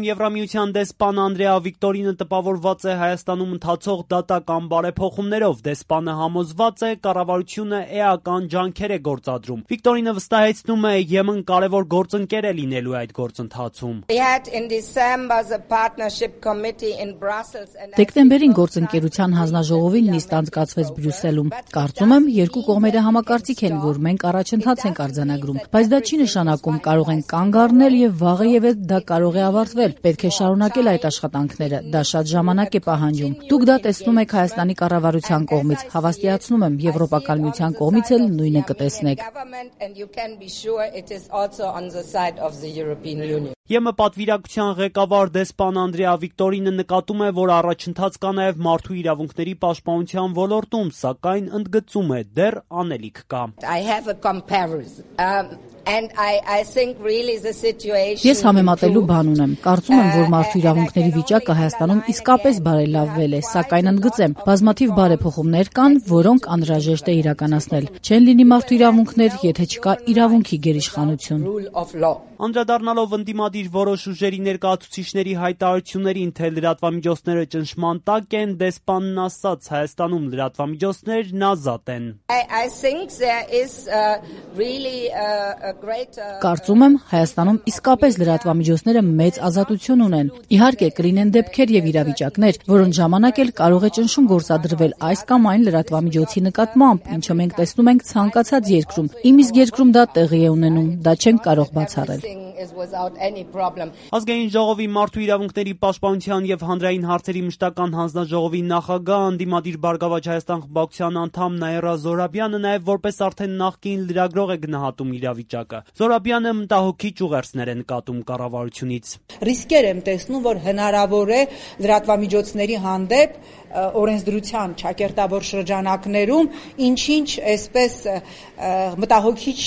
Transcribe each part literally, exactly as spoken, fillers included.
Եվրամիության դեսպան Անդրեա Վիկտորինը տպավորված է Հայաստանում ընթացող դատական բարեփոխումներով։ Դեսպանը համոզված է, կառավարությունը էական ջանքեր է գործադրում։ Վիկտորինը վստահեցնում է, ԵՄ-ն կարևոր գործընկեր է լինելու այդ գործընթացում։ Դեկտեմբերին գործընկերության հանձնաժողովին նիստ անցկացվեց Բրյուսելում։ Կարծում եմ, երկու կողմերը համակարծիք են, որ մենք առաջընթաց ենք արձանագրում, բայց դա չի նշանակում կարող ենք կանգ առնել եւ վաղը եւ դա կարող է ավարտվել։ Պետք է շարունակել այդ աշխատանքները, դա շատ ժամանակ է պահանջում։ Դուք դա տեսնում եք Հայաստանի կառավարության կողմից, հավաստիացնում եմ, Եվրոպական միության կողմից էլ նույնը կտեսնեք։ ԵՄ պատվիրակության ղեկավար դեսպան Անդրեա Վիկտորինը նկատում է, որ առաջընթաց կա նաև մարդու իրավունքների պաշտպանության ոլորտում, սակայն ընդգծում է, դեռ անելիք կա։ Ես համեմատելու բան ունեմ։ Կարծում եմ, որ մարդու իրավունքների վիճակը Հայաստանում իսկապես բարելավվել է, սակայն ընդգծեմ, բազմաթիվ բարեփոխումներ կան, որոնք անհրաժեշտ է իրականացնել։ Չեն լինի մարդու իրավունքներ, եթե չկա իրավունքի գերիշխանություն։ Անդրադառնալով ընդդիմադիր որոշ ուժերի ներկայացուցիչների հայտարարություններին, թե լրատվամիջոցները ճնշման տակ են, դեսպանն ասաց, Հայաստանում լրատվամիջոցներն ազատ են։ Կարծում եմ, Հայաստանում իսկապես լրատվամիջոցները մեծ ազատություն ունեն։ Իհարկե, կլինեն դեպքեր եւ իրավիճակներ, որոնց ժամանակ էլ կարող է ճնշում գործադրվել այս կամ այն լրատվամիջոցի նկատմամբ, ինչը մենք տեսնում ենք ցանկացած երկրում։ Իմ իսկ երկրում դա տեղի է ունենում, դա չենք կարող բացառել։ Ազգային ժողովի մարդու իրավունքների պաշտպանության եւ հանրային հարցերի մշտական հանձնաժողովի նախագահ, ընդդիմադիր Բարգավաճ Հայաստան խմբակցության անդամ Նաիրա Զոհրաբյանը նաեւ որպես արդեն նախկին լրագրող է գնահատում իրավիճակը։ Զոհրաբյանը մտահոգիչ ուղերձներ է նկատում կառավարությունից։ Ռիսկեր եմ տեսնում, որ հնարավոր է լրատվամիջոցների հանդեպ օրենսդրության ճակերտավոր շրջանակներում ինչ-ինչ այսպես մտահոգիչ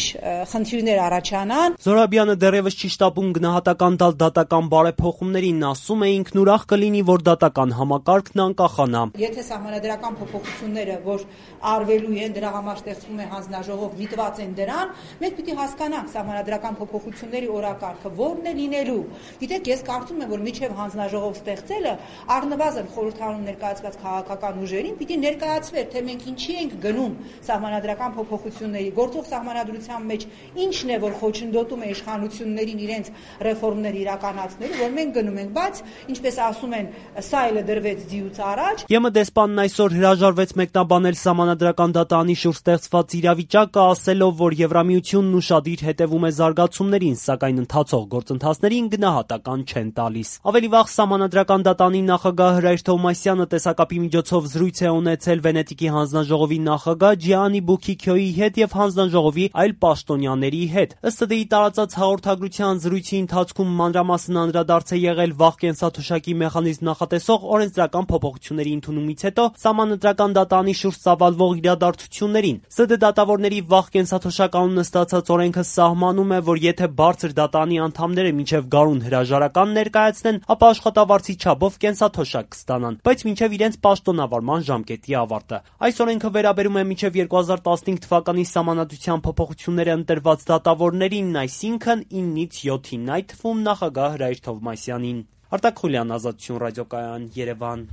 խնդիրներ առաջանան։ Զոհրաբյանը դեռևս չի շտապում գնահատական տալ դատական բարեփոխումներին, ասում է ինքն ուրախ կլինի, որ դատական համակարգն անկախանա։ Եթե սահմանադրական փոփոխությունները, որ արվելու են, դրա համար ստեղծվում է հանձնաժողով, միտված են դրան, մենք պիտի հասկանանք սահմանադրական փոփոխությունների օրակարգը որն է լինելու։ Գիտեք, ես կարծում եմ, որ միջև հանձնաժողով ստեղծելը առնվազն խորհրդարանում ներկայացված քաղաքական ուժերին պիտի ներկայացվեր, թե մենք ինչի ենք գնում սահմանադրական փոփոխությունների, գործող սահմանադրության մեջ ինչն է, որ խոչընդոտում է իշխանություններին իրենց ռեֆորմներ իրականացնելու, որ մենք գնում ենք, բայց ինչպես ասում են, սա էլ դրվեց ձիուց առաջ։ ԵՄ դեսպանն այսօր հրաժարվեց մեկնաբանել սահմանադրական դատարանի շուրջ ստեղծված իրավիճակը, ասելով, որ Եվրամիությունն ուշադիր հետևում է զարգացումներին, սակայն ընթացող գործընթացներին գնահատական չեն տալիս։ Ավելի վաղ սահմանադրական դատարանի նախագահ Հրայր Թովմասյանը տեսակապի միջոցով զրույց է ունեցել Վենետիկի հանձնաժողովի նախագահ Ջիանի Բուքիքյոյի հետ եւ հանձնաժողովի այլ պաշտոնյաների հետ։ Ըստ ըդի տարածած հաղորդագրության զրույցի ընթացքում մանրամասն անդրադարձ է եղել վաղ կենսաթոշակի մեխանիզմ նախատեսող օրենսդրական փոփոխությունների ընդունումից հետո սահմանադրական դատարանի շուրջ ծավալվող իրադարձություններին։ ՍԴ դատավորների վաղ կենսաթոշակ անունը ստացած օրենքը սահմանում է, որ եթե բարձր դատարանի անդամները մինչև գարուն հրաժարական ներկայացնեն, ապա աշխատավարձի չափով կենսաթոշակ կստանան, բայց մինչև իրենց պաշտոնավարման ժամկետի ավարտը։ Այս օրենքը վերաբերում է մինչև երկու հազար տասնհինգ թվականի սահմանադրության փոփոխությունները ընտրված դատավորներին, այսինքն իննից յոթին, այդ թվում նախագահ Հրայր Թովմասյանին։ Արտակ Խուլյան, Ազատություն ռադիոկայան, Երևան։